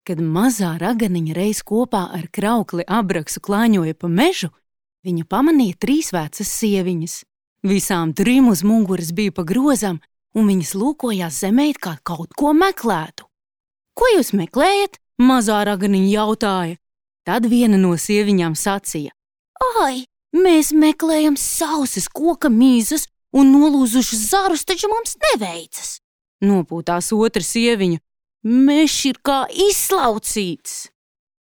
Kad mazā raganiņa reiz kopā ar kraukli Abraksu klāņoja pa mežu, viņa pamanīja 3 vecas sieviņas. Visām 3 uz muguras bija pa grozam, un viņas lūkojās zemē, kā kaut ko meklētu. Ko jūs meklējat? Mazā raganiņa jautāja. Tad viena no sieviņām sacīja: Ai, mēs meklējam sausas koka mīzas un nolūzušas zarus, taču mums neveicas. Nopūtās otra sieviņa: Mežs ir kā izslaucīts.